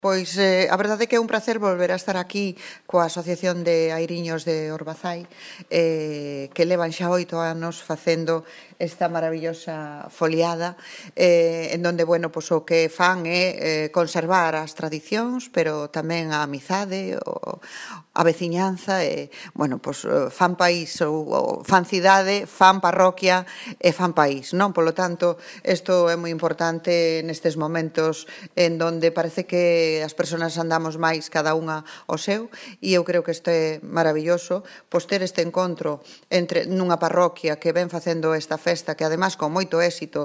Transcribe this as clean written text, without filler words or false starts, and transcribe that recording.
Pois a verdade é que é un placer volver a estar aquí coa Asociación de Airiños de Orbazai, que levan xa 8 anos facendo esta maravillosa foliada, en donde, bueno, pois o que fan é conservar as tradicións, pero tamén a amizade, a veciñanza, e, bueno, pois fan país ou fan cidade, fan parroquia e fan país, non? Polo tanto, isto é moi importante nestes momentos en donde parece que as persoas andamos máis cada unha ao seu, e eu creo que isto é maravilloso, pois ter este encontro nunha parroquia que ven facendo esta festa, que ademais con moito éxito